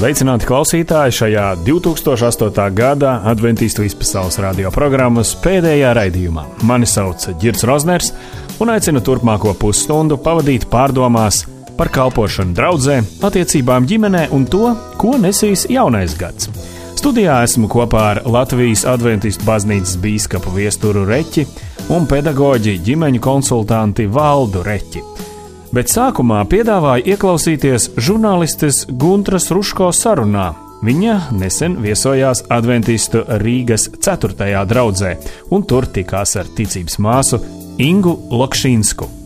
Sveicināti klausītāji šajā 2008. gada Adventīstu vispasaules radio programmas pēdējā raidījumā. Mani sauc Ģirds Rozners un aicinu turpmāko pusstundu pavadīt pārdomās par kalpošanu draudzē, attiecībām ģimenē un to, ko nesīs jaunais gads. Studijā esmu kopā ar Latvijas Adventistu baznīcas bīskapu Viesturu Reķi un pedagoģi ģimeņu konsultanti Valdu Reķi. Bet sākumā piedāvāju ieklausīties žurnālistes Guntras Ruško sarunā. Viņa nesen viesojās Adventistu Rīgas 4. draudzē un tur tikās ar ticības māsu Ingu Lokšīnsku.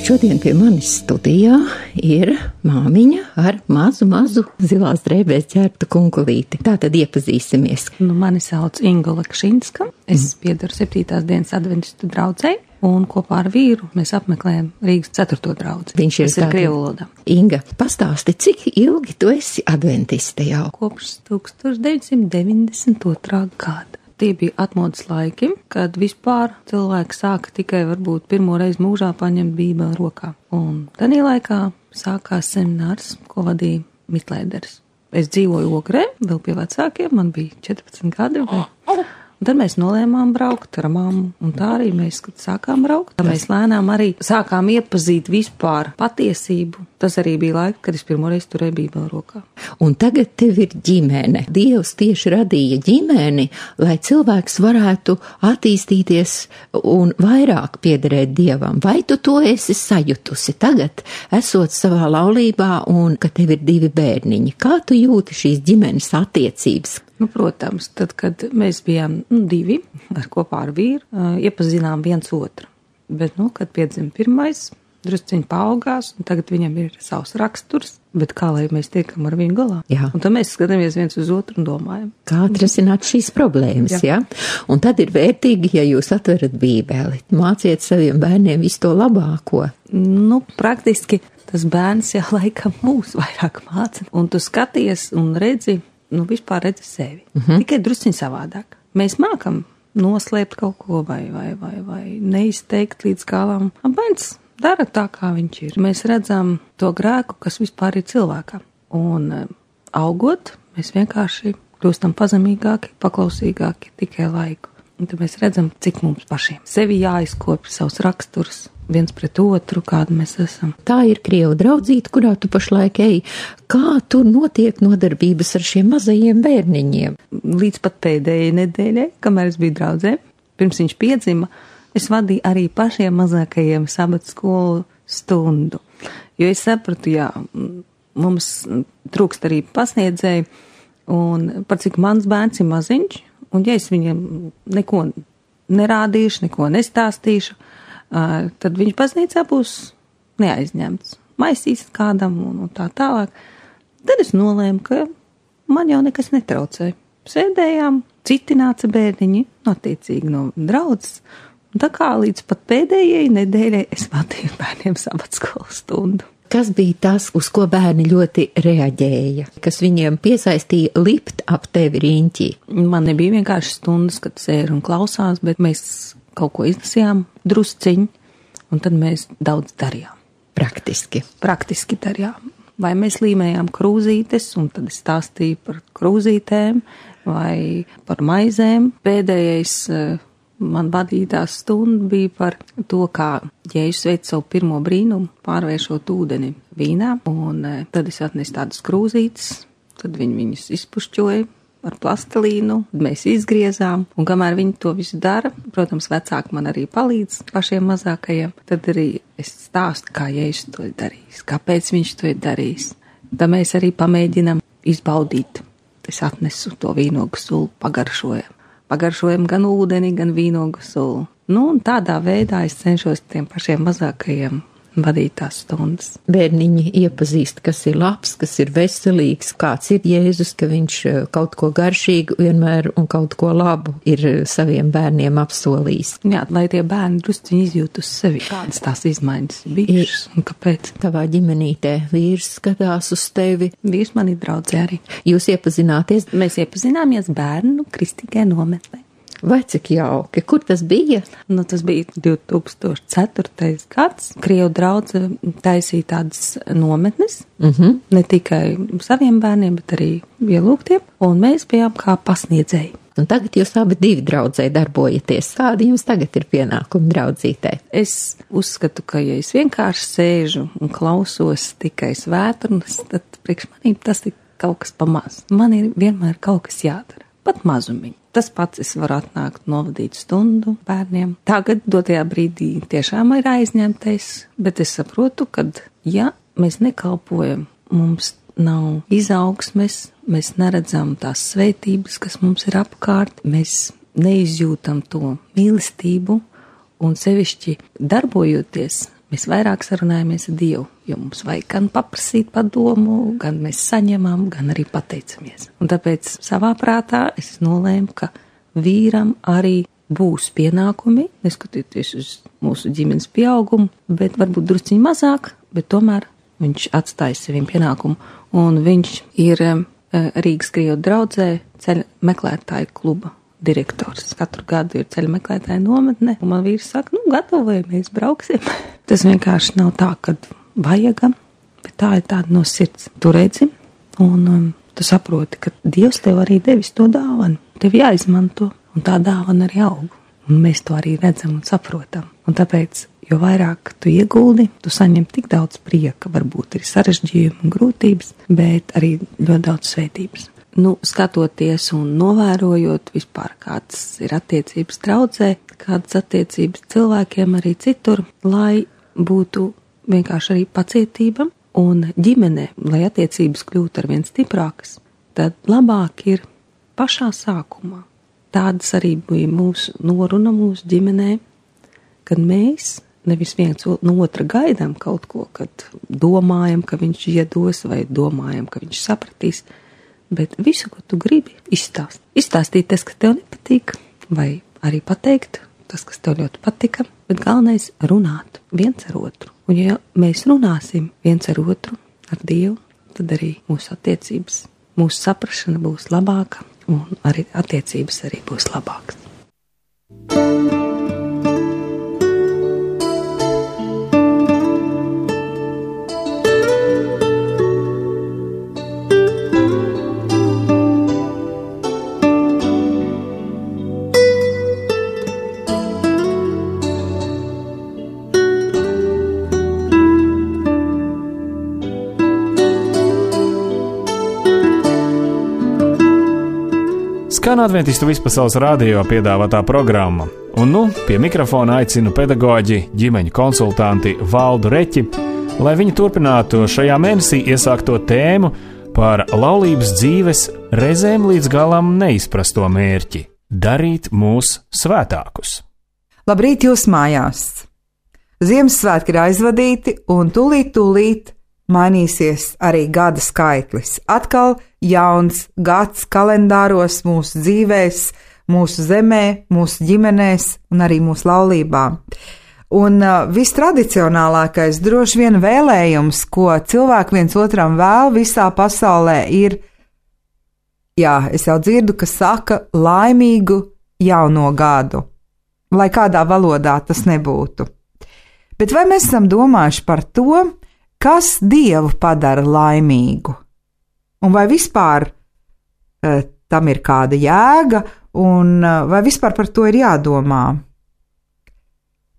Šodien pie manis studijā ir māmiņa ar mazu zilās drēbēs ķērptu kunkulīti. Tātad iepazīsimies. Mani sauc Inga Lokšīnska. Es piedaru 7. dienas Adventistu draudzei un kopā ar vīru mēs apmeklējam Rīgas 4. draudzi. Viņš ir krievu valodā. Inga, pastāsti, cik ilgi tu esi adventiste jau? Kopš 1992. gada. Tie bija atmodas laiki, kad vispār cilvēki sāka tikai varbūt pirmo reizi mūžā paņemt Bībeli rokā. Un tādā laikā sākās seminārs, ko vadīja Mitlēderis. Es dzīvoju Ogrē, vēl pie vecākiem, man bija 14 gadi. Un tad mēs nolēmām braukt ar mammu, un tā arī mēs, kad sākām braukt, tad mēs lēnām arī sākām iepazīt vispār patiesību. Tas arī bija laika, kad es pirmoreiz turēju Bībeli rokā. Un tagad tev ir ģimene. Dievs tieši radīja ģimeni, lai cilvēks varētu attīstīties un vairāk piederēt Dievam. Vai tu to esi sajutusi tagad, esot savā laulībā un ka tev ir 2 bērniņi? Kā tu jūti šīs ģimenes attiecības? Protams, tad, kad mēs bijām 2 kopā ar vīru, iepazinām viens otru. Bet, kad piedzima pirmais, drusciņi paaugās, un tagad viņam ir savs raksturs, bet kā lai mēs tiekam ar viņu galā? Jā. Un tad mēs skatāmies viens uz otru un domājam. Kā atrisināt šīs problēmas, jā? Un tad ir vērtīgi, ja jūs atverat Bībeli, māciet saviem bērniem visu to labāko. Praktiski tas bērns jau laikam mūs vairāk māca, un tu skaties un redzi, vispār redzi sevi. Tikai drusciņi savādāk. Mēs mākam noslēpt kaut ko vai neizteikt līdz galam. Bērns dara tā, kā viņš ir. Mēs redzam to grēku, kas vispār ir cilvēkam. Un augot, mēs vienkārši kļūstam pazemīgāki, paklausīgāki tikai laiku. Un tad mēs redzam, cik mums pašiem sevi jāizkopja savs raksturs, viens pret otru, kāda mēs esam. Tā ir krievu draudzīte, kurā tu pašlaik ej. Kā tur notiek nodarbības ar šiem mazajiem bērniņiem? Līdz pat pēdējai nedēļai, kamēr es biju draudzē, pirms viņš piedzima, es vadīju arī pašiem mazākajiem sabata skolu stundu. Jo es sapratu, mums trūkst arī pasniedzēji, un par cik mans bērns ir maziņš, un ja es viņam neko nerādīšu, neko nestāstīšu, tad viņš baznīcā būs neaizņemts. Maisīs kādam un tā tālāk. Tad es nolēmu, ka man jau nekas netraucē. Sēdējām, citi nāca bērniņi, attiecīgi no draudzes. Un tā kā līdz pat pēdējai nedēļai es vadīju bērniem sabatskolas stundu. Kas bija tas, uz ko bērni ļoti reaģēja? Kas viņiem piesaistīja lipt ap tevi riņķī? Man nebija vienkārši stundas, kad sēž un klausās, bet mēs kaut ko izlasījām drusciņi, un tad mēs daudz darījām. Praktiski darījām. Vai mēs līmējām krūzītes, un tad es stāstīju par krūzītēm, vai par maizēm. Pēdējais man vadītās stunda bija par to, kā Jēzus veic savu pirmo brīnumu, pārvēršot ūdeni vīnā, un tad es atnesu tādas krūzītes, tad viņi viņus izpušķoja ar plastelīnu, mēs izgriezām, un kamēr viņi to visu dara, protams, vecāki man arī palīdz pašiem mazākajiem, tad arī es stāstu, kā Jēzus to ir darījis, kāpēc viņš to ir darījis. Tad mēs arī pamēģinam izbaudīt. Es atnesu to vīnogu sulu, pagaršojam gan ūdeni, gan vīnogu sulu. Un tādā veidā es cenšos tiem pašiem mazākajiem vadīt tās stundas. Bērniņi iepazīst, kas ir labs, kas ir veselīgs, kāds ir Jēzus, ka viņš kaut ko garšīgu vienmēr un kaut ko labu ir saviem bērniem apsolījis. Jā, lai tie bērni drusciņi izjūt uz sevi, kādas tās izmaiņas bijušas un kāpēc. Tavā ģimenītē vīrs skatās uz tevi. Vīrs man ir draudzē arī. Jūs iepazināties? Mēs iepazināmies bērnu kristīgajā nometnē. Vai cik jauki? Kur tas bija? Tas bija 2004. gads. Krievu draudze taisīja tādas nometnes, ne tikai saviem bērniem, bet arī ielūgtiem, un mēs bijām kā pasniedzēji. Un tagad jūs abi divi draudzē darbojaties. Kādi jums tagad ir pienākumi draudzītē? Es uzskatu, ka ja es vienkārši sēžu un klausos tikai svētrunas, tad priekš manīm tas ir kaut kas pamaz. Man ir vienmēr kaut kas jādara, pat mazumiņi. Tas pats es varu atnākt novadīt stundu bērniem. Tagad dotajā brīdī tiešām ir aizņemtais, bet es saprotu, ka ja mēs nekalpojam, mums nav izaugsmes, mēs neredzam tās svētības, kas mums ir apkārt, mēs neizjūtam to mīlestību un sevišķi darbojoties, mēs vairāk sarunājamies ar Dievu, jo mums vajag gan paprasīt padomu, gan mēs saņemam, gan arī pateicamies. Un tāpēc savā prātā es nolēmu, ka vīram arī būs pienākumi, neskatoties uz mūsu ģimenes pieaugumu, bet varbūt drusciņ mazāk, bet tomēr viņš atstāja saviem pienākumu. Un viņš ir Rīgas Krievu draudzē ceļa meklētāju kluba direktors. Katru gadu ir ceļa meklētāja nometne, un man vīrs saka, gatavojamies, brauksim. Tas vienkārši nav tā, kad vajagam, bet tā ir tāda no sirds. Tu redzi, un tu saproti, ka Dievs tev arī devis to dāvanu. Tev jāizmanto, un tā dāvana arī aug. Un mēs to arī redzam un saprotam. Un tāpēc, jo vairāk tu ieguldi, tu saņem tik daudz prieka, varbūt ir sarežģījumi un grūtības, bet arī ļoti daudz svētības. Skatoties un novērojot vispār, kādas ir attiecības draudzē, kādas attiecības cilvēkiem arī citur, lai būtu vienkārši arī pacietība un ģimene, lai attiecības kļūtu arvien stiprākas, tad labāk ir pašā sākumā. Tādas arī bija mūsu noruna mūsu ģimenē, kad mēs nevis viens no otra gaidām kaut ko, kad domājam, ka viņš iedos vai domājam, ka viņš sapratīs, bet visu, ko tu gribi, izstāst. Izstāstīt tas, kas tev nepatīk, vai arī pateikt tas, kas tev ļoti patika, bet galvenais runāt viens ar otru. Un ja mēs runāsim viens ar otru, ar Dievu, tad arī mūsu attiecības, mūsu saprašana būs labāka un arī attiecības arī būs labākas. Skan Adventistu vispasaules radio piedāvātā programma, un pie mikrofona aicinu pedagoģi, ģimeņu konsultanti Valdu Reķi, lai viņi turpinātu šajā mēnesī iesākto tēmu par laulības dzīves reizēm līdz galam neizprasto mērķi – darīt mūs svētākus. Labrīt jūs mājās! Ziemassvētki ir aizvadīti, un tūlīt mainīsies arī gada skaitlis. Atkal jauns gads kalendāros mūsu dzīvēs, mūsu zemē, mūsu ģimenēs un arī mūsu laulībā. Un vistradicionālākais droši vien vēlējums, ko cilvēki viens otram vēl visā pasaulē ir, es jau dzirdu, ka saka laimīgu jauno gadu, lai kādā valodā tas nebūtu. Bet vai mēs esam domājuši par to, kas Dievu padara laimīgu? Un vai vispār tam ir kāda jēga, un vai vispār par to ir jādomā?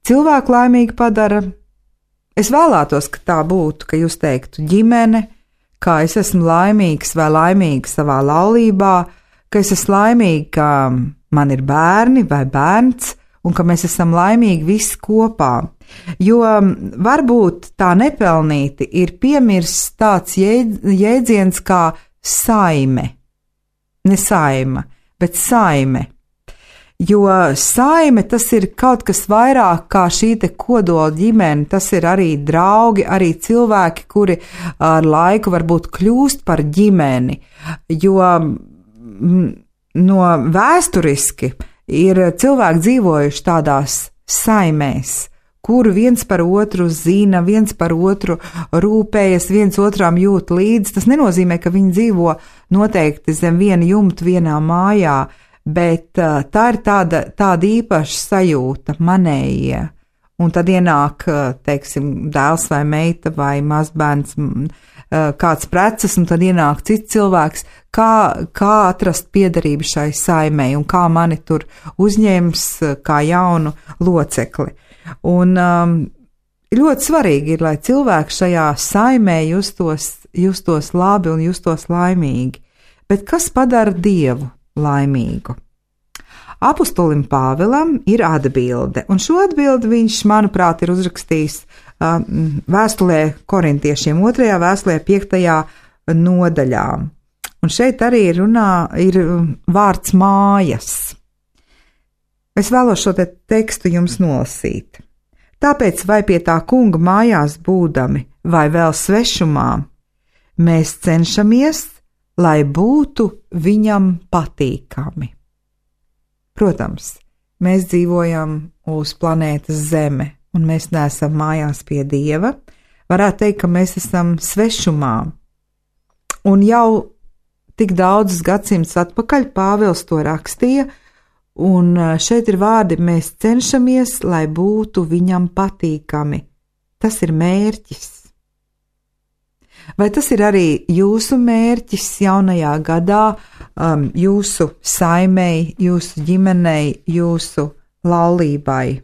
Cilvēku laimīgi padara, es vēlētos, ka tā būtu, ka jūs teiktu ģimene, kā es esmu laimīgs vai laimīga savā laulībā, ka es esmu laimīga, ka man ir bērni vai bērns, un ka mēs esam laimīgi visi kopā. Jo varbūt tā nepelnīti ir piemirsts tāds jēdziens kā saime. Ne saima, bet saime. Jo saime tas ir kaut kas vairāk kā šī te kodola ģimene, tas ir arī draugi, arī cilvēki, kuri ar laiku varbūt kļūst par ģimeni, jo no vēsturiski ir cilvēki dzīvojuši tādās saimēs, kur viens par otru zina, viens par otru rūpējas, viens otram jūt līdzi. Tas nenozīmē, ka viņi dzīvo noteikti zem viena jumta vienā mājā, bet tā ir tāda īpaša sajūta, manējie. Un tad ienāk, teiksim, dēls vai meita vai mazbērns, kāds preces, un tad ienāk cits cilvēks, kā atrast piederību šai saimei un kā mani tur uzņems kā jaunu locekli. Un ļoti svarīgi ir, lai cilvēki šajā saimē justos labi un justos laimīgi. Bet kas padara Dievu laimīgu? Apostolim Pāvilam ir atbilde, un šo atbildi viņš, manuprāt, ir uzrakstījis vēstulē korintiešiem 2. vēstulē 5. nodaļā. Un šeit arī ir vārds mājas. Es vēlos šo tekstu jums nolasīt. Tāpēc vai pie tā kunga mājās būdami, vai vēl svešumā, mēs cenšamies, lai būtu viņam patīkami. Protams, mēs dzīvojam uz planētas Zeme, un mēs neesam mājās pie Dieva. Varētu teikt, ka mēs esam svešumā. Un jau tik daudzus gadsimtus atpakaļ Pāvils to rakstīja, un šeit ir vārdi: mēs cenšamies, lai būtu viņam patīkami. Tas ir mērķis. Vai tas ir arī jūsu mērķis jaunajā gadā, jūsu saimei, jūsu ģimenei, jūsu laulībai?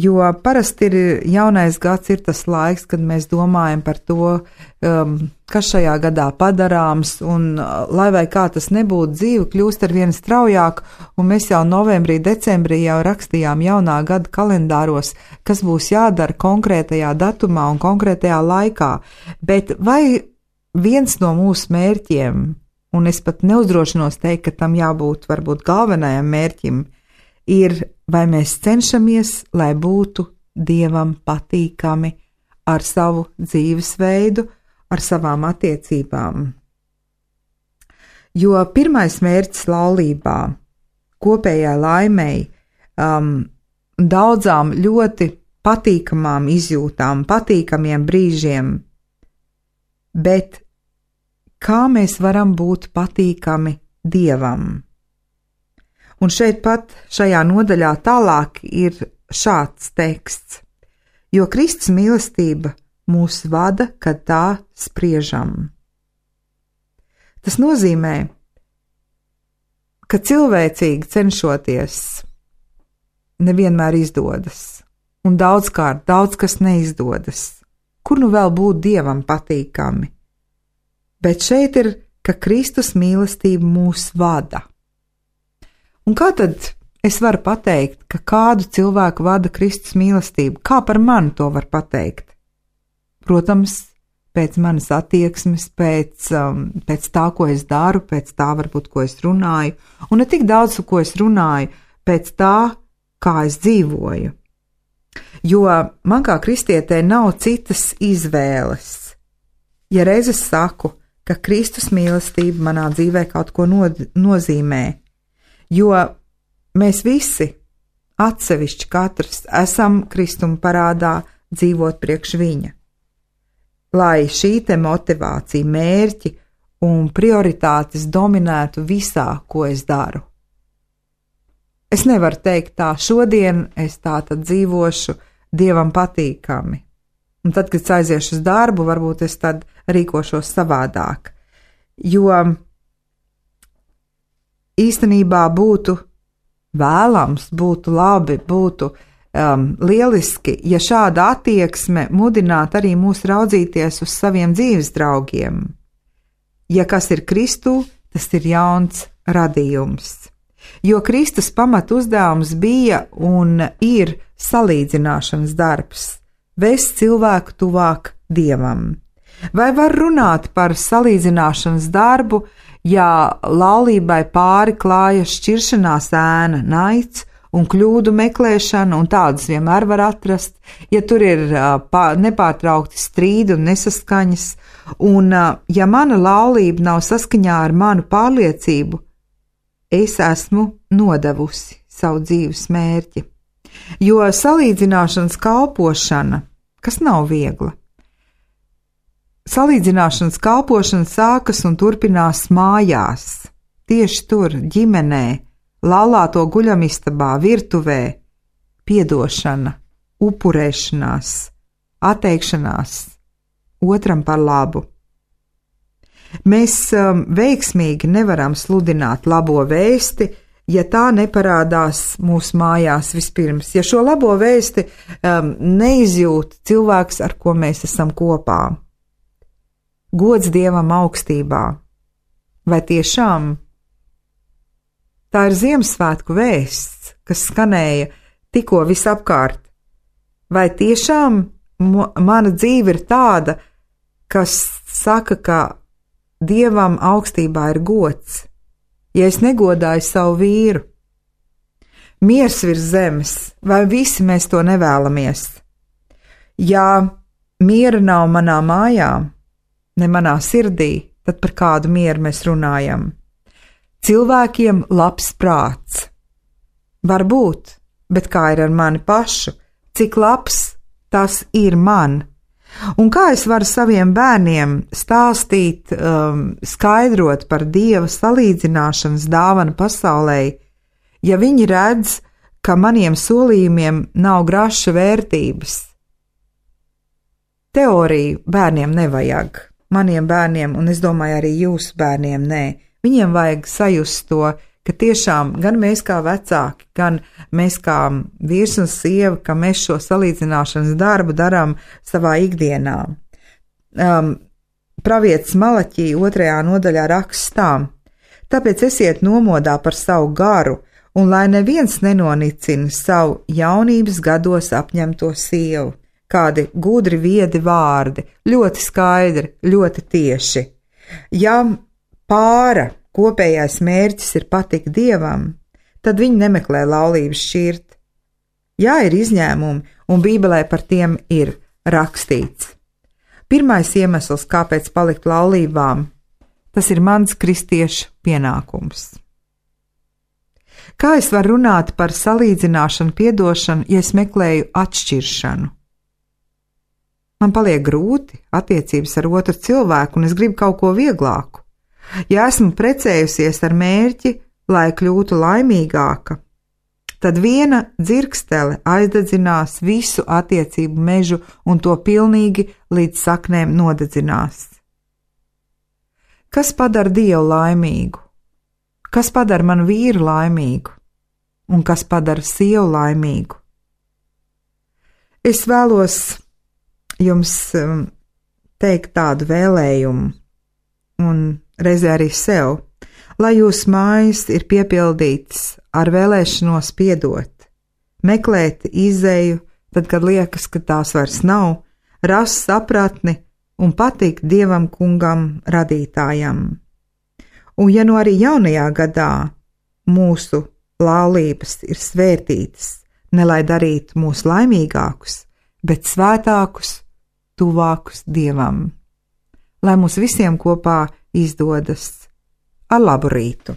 Jo parasti jaunais gads ir tas laiks, kad mēs domājam par to, kas šajā gadā padarāms, un lai vai kā tas nebūtu, dzīve kļūst ar vien straujāk, un mēs jau novembrī, decembrī jau rakstījām jaunā gada kalendāros, kas būs jādara konkrētajā datumā un konkrētajā laikā. Bet vai viens no mūsu mērķiem, un es pat neuzdrošinos teikt, ka tam jābūt varbūt galvenajam mērķim, ir, vai mēs cenšamies, lai būtu Dievam patīkami ar savu dzīvesveidu, ar savām attiecībām. Jo pirmais mērķis laulībā, kopējai laimei, daudzām ļoti patīkamām izjūtām, patīkamiem brīžiem, bet kā mēs varam būt patīkami Dievam? Un šeit pat šajā nodaļā tālāk ir šāds teksts: jo Kristus mīlestība mūs vada, kad tā spriežam. Tas nozīmē, ka cilvēcīgi cenšoties nevienmēr izdodas, un daudzkārt daudz kas neizdodas. Kur nu vēl būt Dievam patīkami? Bet šeit ir, ka Kristus mīlestība mūs vada. Un kā tad es varu pateikt, ka kādu cilvēku vada Kristus mīlestība? Kā par mani to var pateikt? Protams, pēc manas attieksmes, pēc tā, ko es daru, pēc tā varbūt, ko es runāju, un ne tik daudz, ko es runāju, pēc tā, kā es dzīvoju. Jo man kā kristietē nav citas izvēles. Ja reiz es saku, ka Kristus mīlestība manā dzīvē kaut ko nozīmē, jo mēs visi, atsevišķi katrs, esam Kristuma parādā dzīvot priekš viņa. Lai šī te motivācija, mērķi un prioritātes dominētu visā, ko es daru. Es nevaru teikt tā, šodien es tā tad dzīvošu Dievam patīkami. Un tad, kad es aiziešu uz darbu, varbūt es tad rīkošos savādāk. Jo īstenībā būtu vēlams, būtu labi, būtu lieliski, ja šāda attieksme mudinātu arī mūs raudzīties uz saviem dzīves draugiem. Ja kas ir Kristū, tas ir jauns radījums. Jo Kristus pamat uzdevums bija un ir salīdzināšanas darbs, vest cilvēku tuvāk Dievam. Vai var runāt par salīdzināšanas darbu, Ja laulībai pāri klājas šķiršanās ēna, naids un kļūdu meklēšana, un tādas vienmēr var atrast, ja tur ir nepārtraukti strīdi un nesaskaņas, un ja mana laulība nav saskaņā ar manu pārliecību, es esmu nodevusi savu dzīves mērķi. Jo salīdzināšanas kalpošana, kas nav viegla, salīdzināšanas kalpošana sākas un turpinās mājās, tieši tur, ģimenē, laulāto guļamistabā, virtuvē, piedošana, upurēšanās, atteikšanās otram par labu. Mēs veiksmīgi nevaram sludināt labo vēsti, ja tā neparādās mūsu mājās vispirms, ja šo labo vēsti neizjūt cilvēks, ar ko mēs esam kopā. Gods Dievam augstībā. Vai tiešām? Tā ir Ziemassvētku vēsts, kas skanēja tikko visapkārt. Vai tiešām mana dzīve ir tāda, kas saka, ka Dievam augstībā ir gods, ja es negodāju savu vīru? Miers virs zemes, vai visi mēs to nevēlamies? Ja miera nav manā mājā, ne manā sirdī, tad par kādu mieru mēs runājam? Cilvēkiem labs prāts. Varbūt, bet kā ir ar mani pašu, cik labs tas ir man? Un kā es varu saviem bērniem stāstīt, skaidrot par Dieva salīdzināšanas dāvanu pasaulē, ja viņi redz, ka maniem solījumiem nav graša vērtības? Teoriju bērniem nevajag. Maniem bērniem, un es domāju arī jūsu bērniem, nē. Viņiem vajag sajust to, ka tiešām gan mēs kā vecāki, gan mēs kā vīrs un sieva, ka mēs šo salīdzināšanas darbu darām savā ikdienā. Pravietis Malaķī 2. nodaļā rakstā: tāpēc esiet nomodā par savu garu, un lai neviens nenonicina savu jaunības gados apņemto sievu. Kādi gudri viedi vārdi, ļoti skaidri, ļoti tieši. Ja pāra kopējais mērķis ir patikt Dievam, tad viņi nemeklē laulības šķirt. Jā, ir izņēmumi, un Bībelē par tiem ir rakstīts. Pirmais iemesls, kāpēc palikt laulībām, tas ir mans kristiešu pienākums. Kā es varu runāt par salīdzināšanu, piedošanu, ja es meklēju atšķiršanu? Man paliek grūti attiecības ar otru cilvēku, un es gribu kaut ko vieglāku. Ja esmu precējusies ar mērķi, lai kļūtu laimīgāka, tad viena dzirkstele aizdedzinās visu attiecību mežu un to pilnīgi līdz saknēm nodedzinās. Kas padara Dievu laimīgu? Kas padara manu vīru laimīgu? Un kas padara sievu laimīgu? Es vēlos jums teikt tādu vēlējumu, un reizē arī sev, lai jūsu mājas ir piepildītas ar vēlēšanos piedot, meklēt izēju, tad, kad liekas, ka tās vairs nav, rast sapratni un patikt Dievam kungam radītājam. Un ja nu arī jaunajā gadā mūsu laulības ir svētītas, ne lai darītu mūs laimīgākus, bet svētākus, tuvākus Dievam. Lai mums visiem kopā izdodas ar labu rītu.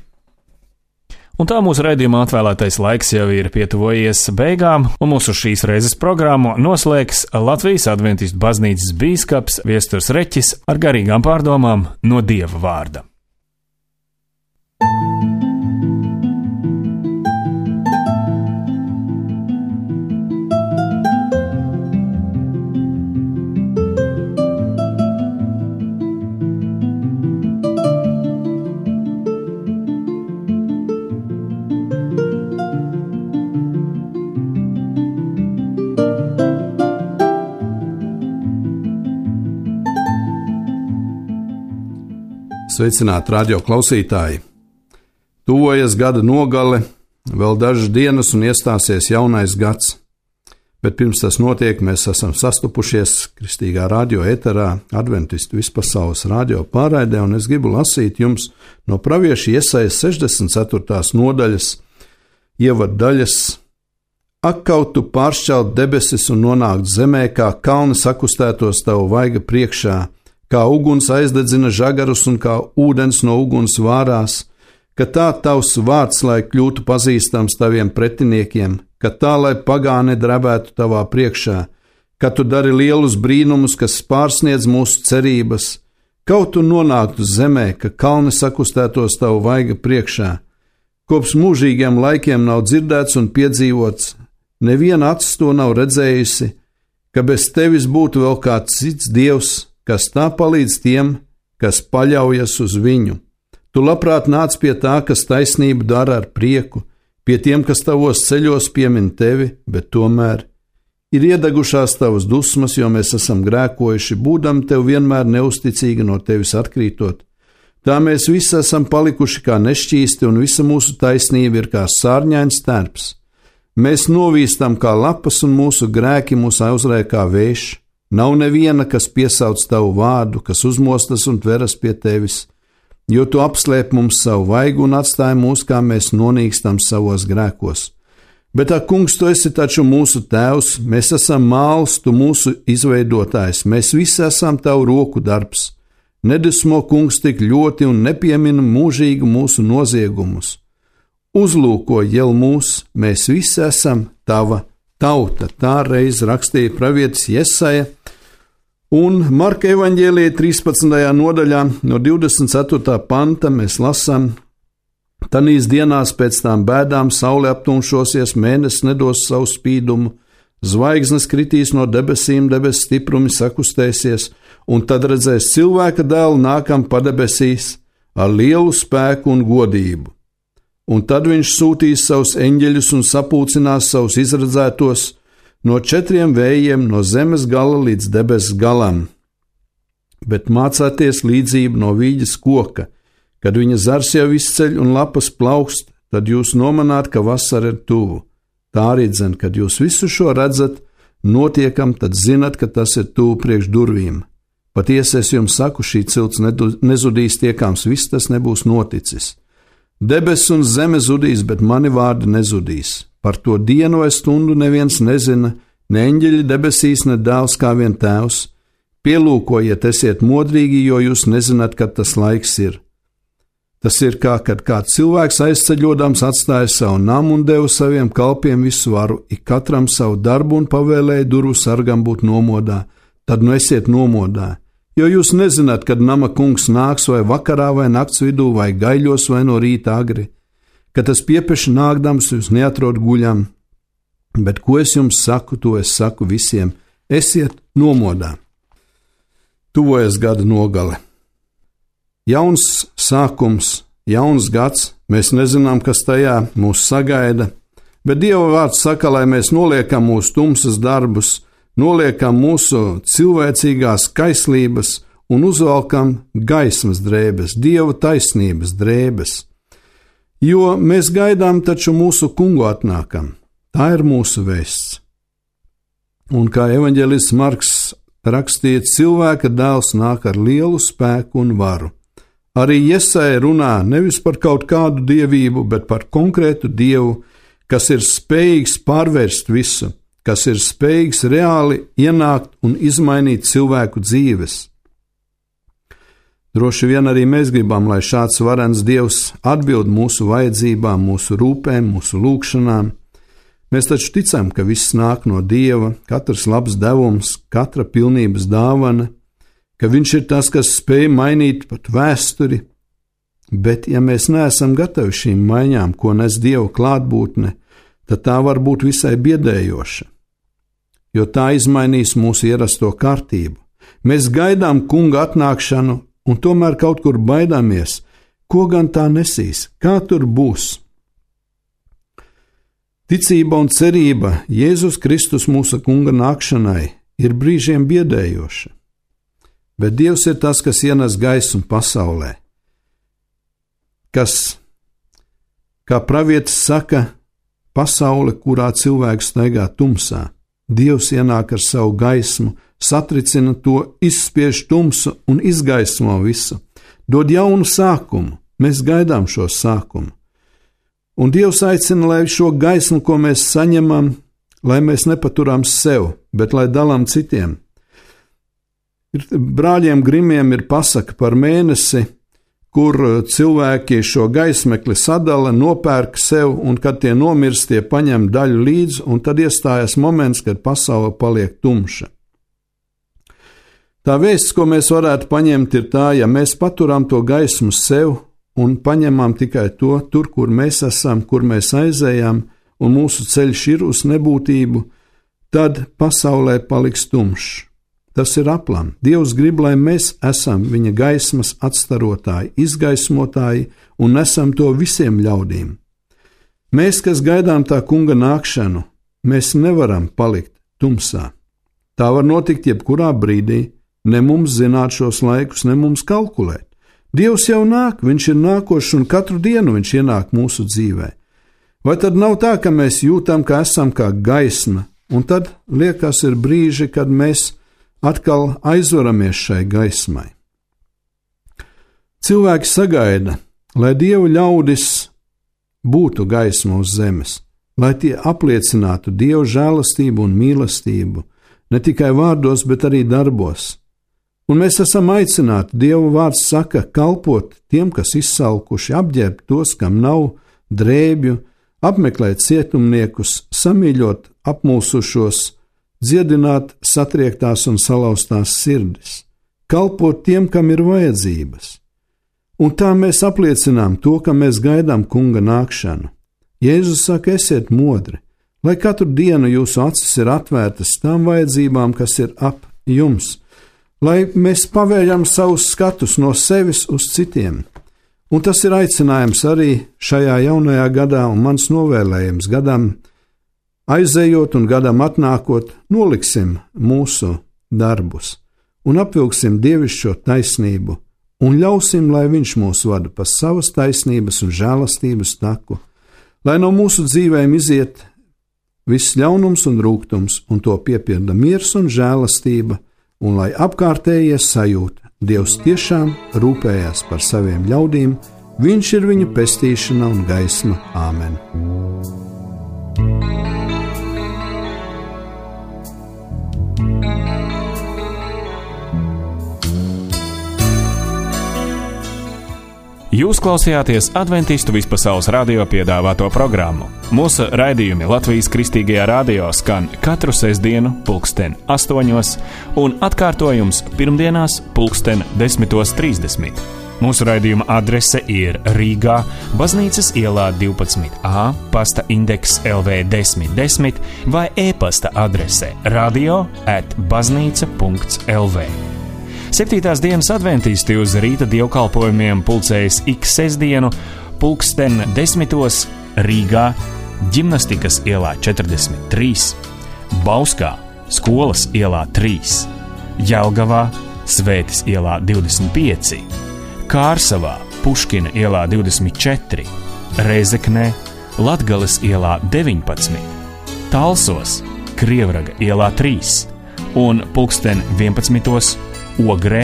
Un tā mūsu raidījuma atvēlētais laiks jau ir pietuvojies beigām, un mūsu šīs reizes programmu noslēgs Latvijas Adventistu baznīcas bīskaps Viesturs Reķis ar garīgām pārdomām no Dieva vārda. Sveicināti radio klausītāji! Tuvojas gada nogale, vēl dažas dienas un iestāsies jaunais gads. Bet pirms tas notiek, mēs esam sastopušies Kristīgā radio eterā, Adventistu vispasaules radio pārraidē, un es gribu lasīt jums no pravieša Jesajas 64. nodaļas, ievaddaļas. Ak, kaut tu pāršķelt debesis un nonākt zemē, kā kalni sakustētos tavu vaiga priekšā, kā uguns aizdedzina žagarus un kā ūdens no uguns vārās, ka tā tavs vārds, lai kļūtu pazīstams taviem pretiniekiem, ka tā, lai pagāni drebētu tavā priekšā, ka tu dari lielus brīnumus, kas pārsniedz mūsu cerības, kaut tu nonāktu zemē, ka kalni sakustētos tavu vaiga priekšā. Kopš mūžīgiem laikiem nav dzirdēts un piedzīvots, neviena acis to nav redzējusi, ka bez tevis būtu vēl kāds cits dievs, kas tā palīdz tiem, kas paļaujas uz viņu. Tu labprāt nāc pie tā, kas taisnību dara ar prieku, pie tiem, kas tavos ceļos piemin tevi, bet tomēr ir iedegušās tavas dusmas, jo mēs esam grēkojuši, būdam tev vienmēr neusticīgi no tevis atkrītot. Tā mēs visi esam palikuši kā nešķīsti, un visa mūsu taisnība ir kā sārņains terps. Mēs novīstam kā lapas, un mūsu grēki mūs aizrāj kā vējš. Nav neviena, kas piesauc tavu vārdu, kas uzmostas un tveras pie tevis, jo tu apslēp mums savu vaigu un atstāji mūs, kā mēs nonīkstam savos grēkos. Bet, ak, kungs, tu esi taču mūsu tēvs, mēs esam māls, tu mūsu izveidotājs, mēs visi esam tavu roku darbs. Nedusmo, kungs, tik ļoti un nepiemina mūžīgi mūsu noziegumus. Uzlūko jau mūs, mēs visi esam tava tauta. Tā reiz rakstīja pravietis Jesaja, un Marka evaņģēlijā 13. nodaļā no 24. panta mēs lasām: Tanīs dienās pēc tām bēdām saule aptumšosies, mēnesis nedos savu spīdumu, zvaigznes kritīs no debesīm, debesu stiprumi sakustēsies, un tad redzēs cilvēka dēlu nākam padebesīs ar lielu spēku un godību. Un tad viņš sūtīs savus eņģeļus un sapulcinās savus izredzētos no 4 vējiem, no zemes gala līdz debesu galam. Bet mācāties līdzību no vīģes koka, kad viņa zars jau izceļ un lapas plaukst, tad jūs nomanāt, ka vasara ir tuvu. Tā arī dzen, kad jūs visu šo redzat, notiekam, tad zinat, ka tas ir tuvu priekš durvīm. Patiesi es jums saku, šī cilts nezudīs tiekams, viss tas nebūs noticis. Debesis un zeme zudīs, bet mani vārdi nezudīs. Par to dienu vai stundu neviens nezina, ne eņģeļi debesīs, ne dēls kā vien tēvs. Pielūkojiet, esiet modrīgi, jo jūs nezināt, kad tas laiks ir. Tas ir kā, kad kāds cilvēks aizceļodams atstāja savu namu un deva saviem kalpiem visu varu, ik katram savu darbu un pavēlēja durvu sargam būt nomodā. Tad nu esiet nomodā. Jo jūs nezināt, kad nama kungs nāks vai vakarā vai nakts vidū vai gaiļos vai no rīta agri, kad tas piepeši nākdams jūs neatrod guļam. Bet ko es jums saku, to es saku visiem: esiet nomodā. Tuvojas gada nogale. Jauns sākums, jauns gads, mēs nezinām, kas tajā mūs sagaida, bet Dieva vārds saka, lai mēs noliekam mūsu tumsas darbus, noliekam mūsu cilvēcīgās kaislības un uzvalkam gaismas drēbes, Dieva taisnības drēbes. Jo mēs gaidām taču mūsu kungu atnākam. Tā ir mūsu vēsts. Un kā evaņģēlists Marks rakstīja, cilvēka dēls nāk ar lielu spēku un varu. Arī Jesaja runā nevis par kaut kādu dievību, bet par konkrētu Dievu, kas ir spējīgs pārvērst visu, kas ir spējīgs reāli ienākt un izmainīt cilvēku dzīves. Droši vien arī mēs gribam, lai šāds varens Dievs atbild mūsu vajadzībām, mūsu rūpēm, mūsu lūgšanām. Mēs taču ticam, ka viss nāk no Dieva, katrs labs devums, katra pilnības dāvana, ka Viņš ir tas, kas spēj mainīt pat vēsturi, bet ja mēs neesam gatavi šīm maiņām, ko nes Dieva klātbūtne, tad tā var būt visai biedējoša, jo tā izmainīs mūsu ierasto kārtību. Mēs gaidām kunga atnākšanu un tomēr kaut kur baidāmies, ko gan tā nesīs, kā tur būs. Ticība un cerība Jēzus Kristus mūsu kunga nākšanai ir brīžiem biedējoša, bet Dievs ir tas, kas ienes gaismu pasaulē, kas, kā pravietis saka, pasaule, kurā cilvēks staigā tumsā, Dievs ienāk ar savu gaismu, satricina to, izspiež tumsu un izgaismo visu. Dod jaunu sākumu, mēs gaidām šo sākumu. Un Dievs aicina, lai šo gaismu, ko mēs saņemam, lai mēs nepaturām sev, bet lai dalām citiem. Brāļiem Grimiem ir pasaka par mēnesi, kur cilvēki šo gaismekli sadala, nopērk sev, un kad tie nomirst, tie paņem daļu līdzi, un tad iestājas moments, kad pasaule paliek tumša. Tā vēsts, ko mēs varētu paņemt, ir tā, ja mēs paturam to gaismu sev un paņemam tikai to tur, kur mēs esam, kur mēs aizējām, un mūsu ceļš ir uz nebūtību, tad pasaulē paliks tumšs. Tas ir aplam. Dievs grib, lai mēs esam viņa gaismas atstarotāji, izgaismotāji un nesam to visiem ļaudīm. Mēs, kas gaidām tā kunga nākšanu, mēs nevaram palikt tumsā. Tā var notikt jebkurā brīdī, ne mums zināt šos laikus, ne mums kalkulēt. Dievs jau nāk, viņš ir nākošs un katru dienu viņš ienāk mūsu dzīvē. Vai tad nav tā, ka mēs jūtam, ka esam kā gaisma, un tad liekas ir brīži, kad mēs atkal aizvaramies šai gaismai. Cilvēki sagaida, lai Dieva ļaudis būtu gaisma uz zemes, lai tie apliecinātu Dieva žēlastību un mīlestību, ne tikai vārdos, bet arī darbos. Un mēs esam aicināti, Dieva vārds saka, kalpot tiem, kas izsalkuši, apģērbt tos, kam nav drēbju, apmeklēt cietumniekus, samīļot apmulsušos, dziedināt satriektās un salauztās sirdis, kalpot tiem, kam ir vajadzības. Un tā mēs apliecinām to, ka mēs gaidām kunga nākšanu. Jēzus saka, esiet modri, lai katru dienu jūsu acis ir atvērtas tām vajadzībām, kas ir ap jums, lai mēs pavērjam savus skatus no sevis uz citiem. Un tas ir aicinājums arī šajā jaunajā gadā un mans novēlējums gadam, aizējot un gadam atnākot, noliksim mūsu darbus un apvilksim dievišķo taisnību un ļausim, lai viņš mūs vada pa savas taisnības un žēlastības taku, lai no mūsu dzīvēm iziet viss ļaunums un rūgtums un to piepilda miers un žēlastība, un lai apkārtējie sajūta, Dievs tiešām rūpējās par saviem ļaudīm, viņš ir viņu pestīšana un gaisma. Āmen! Jūs klausījāties Adventistu vispasaules radio piedāvāto programmu. Mūsu raidījumi Latvijas Kristīgajā radio skan katru sestdienu 8:00 un atkārtojums pirmdienās 10:30. Mūsu raidījuma adrese ir Rīgā, Baznīcas ielā 12A, pasta indeks LV 1010 vai e-pasta adrese radio@baznīca.lv. 7. dienas adventisti uz rīta dievkalpojumiem pulcējas ik sestdienu 10:00 Rīgā, Ģimnastikas ielā 43, Bauskā, Skolas ielā 3, Jelgavā, Svētes ielā 25, Kārsavā, Puškina ielā 24, Rēzeknē, Latgales ielā 19, Talsos, Krievraga ielā 3 un 11:00 Ogrē,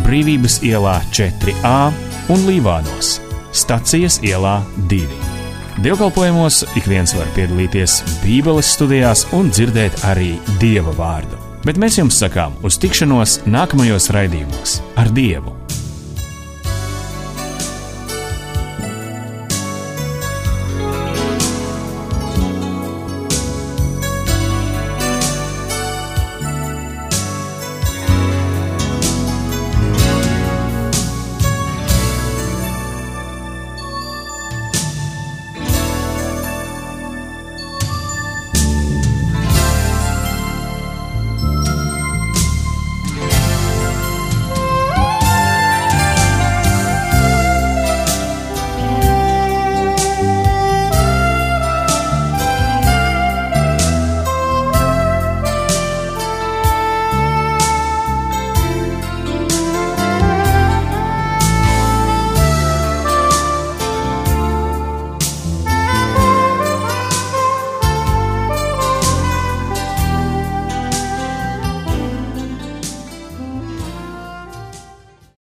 Brīvības ielā 4A un Līvānos, Stacijas ielā 2. Dievkalpojumos ik viens var piedalīties Bībeles studijās un dzirdēt arī Dieva vārdu. Bet mēs jums sakām uz tikšanos nākamajos raidījumos ar Dievu!